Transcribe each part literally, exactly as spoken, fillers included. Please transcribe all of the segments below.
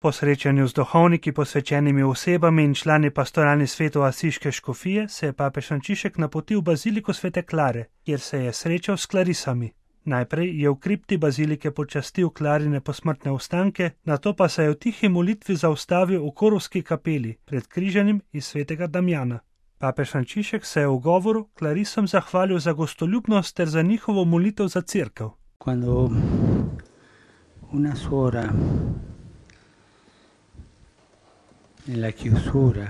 Po srečanju z duhovniki, posvečenimi osebami in člani pastoralnih svetov Asiške škofije se je papež Frančišek napotil v baziliko Svete Klare, kjer se je srečal s klarisami. Najprej je v kripti bazilike počastil Klarine posmrtne ostanke, nato pa se je v tihi molitvi zaustavil v Korovski kapeli pred križanjem iz Svetega Damjana. Papež Frančišek se je v govoru klarisom zahvalil za gostoljubnost ter za njihovo molitev za cerkev. Quando una suora nella chiusura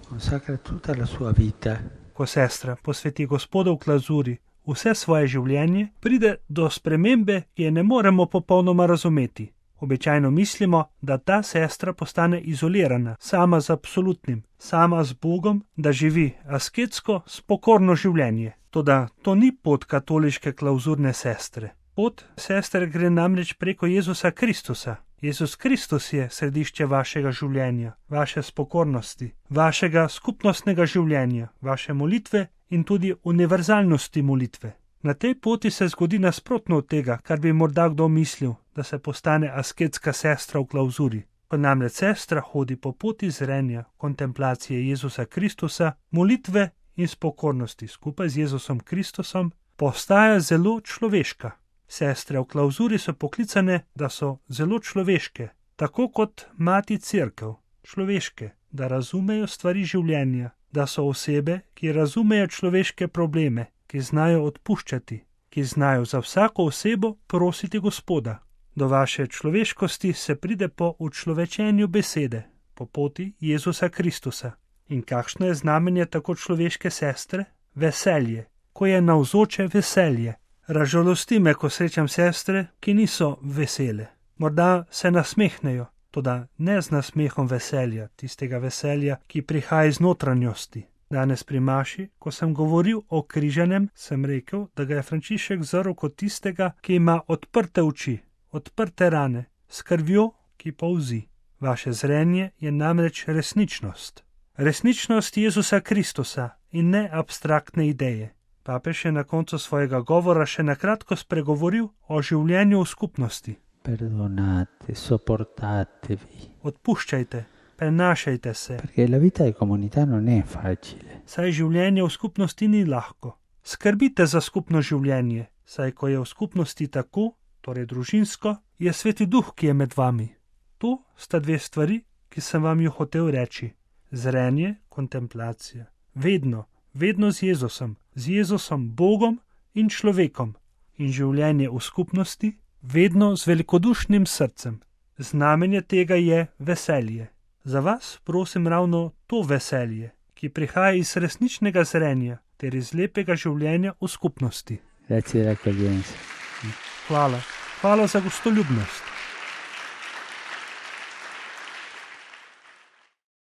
consacra tutta la sua vita, ko sestra posveti Gospodu v klazuri vse svoje življenje, pride do spremembe, ki je ne moremo popolnoma razumeti. Običajno mislimo, da ta sestra postane izolirana, sama z absolutnim, sama z Bogom, da živi asketsko, spokorno življenje. Toda to ni pot katoliške klauzurne sestre. Pot sestre gre namreč preko Jezusa Kristusa. Jezus Kristus je središče vašega življenja, vaše spokornosti, vašega skupnostnega življenja, vaše molitve in tudi univerzalnosti molitve. Na tej poti se zgodi nasprotno od tega, kar bi morda kdo mislil, da se postane asketska sestra v klauzuri. Ko namreč sestra hodi po poti zrenja, kontemplacije Jezusa Kristusa, molitve in spokornosti skupaj z Jezusom Kristusom, postaja zelo človeška. Sestre v klauzuri so poklicane, da so zelo človeške, tako kot mati cerkev, človeške, da razumejo stvari življenja, da so osebe, ki razumejo človeške probleme, ki znajo odpuščati, ki znajo za vsako osebo prositi Gospoda. Do vaše človeškosti se pride po učlovečenju besede, po poti Jezusa Kristusa. In kakšno je znamenje tako človeške sestre? Veselje, ko je navzoče veselje. Razžalosti me, ko srečam sestre, ki niso vesele. Morda se nasmehnejo, toda ne z nasmehom veselja, tistega veselja, ki prihaja iz notranjosti. Danes pri maši, ko sem govoril o križanem, sem rekel, da ga je Frančišek zrl kot tistega, ki ima odprte oči, odprte rane, s krvjo, ki polzi. Vaše zrenje je namreč resničnost. Resničnost Jezusa Kristusa in ne abstraktne ideje. Papež je na koncu svojega govora še nakratko spregovoril o življenju v skupnosti. Perdonate, sopportatevi. Odpuščajte, prenašajte se. Perché la vita di comunità non è facile. Saj življenje v skupnosti ni lahko. Skrbite za skupno življenje, saj ko je v skupnosti tako, torej družinsko, je Sveti Duh, ki je med vami. To sta dve stvari, ki sem vam ju hotel reči. Zrenje, kontemplacija. Vedno, vedno z Jezusom. Z Jezusom, Bogom in človekom, in življenje v skupnosti, vedno z velikodušnim srcem. Znamenje tega je veselje. Za vas prosim ravno to veselje, ki prihaja iz resničnega zrenja ter iz lepega življenja v skupnosti. Grazie dell'accoglienza. Hvala. Hvala za gostoljubnost.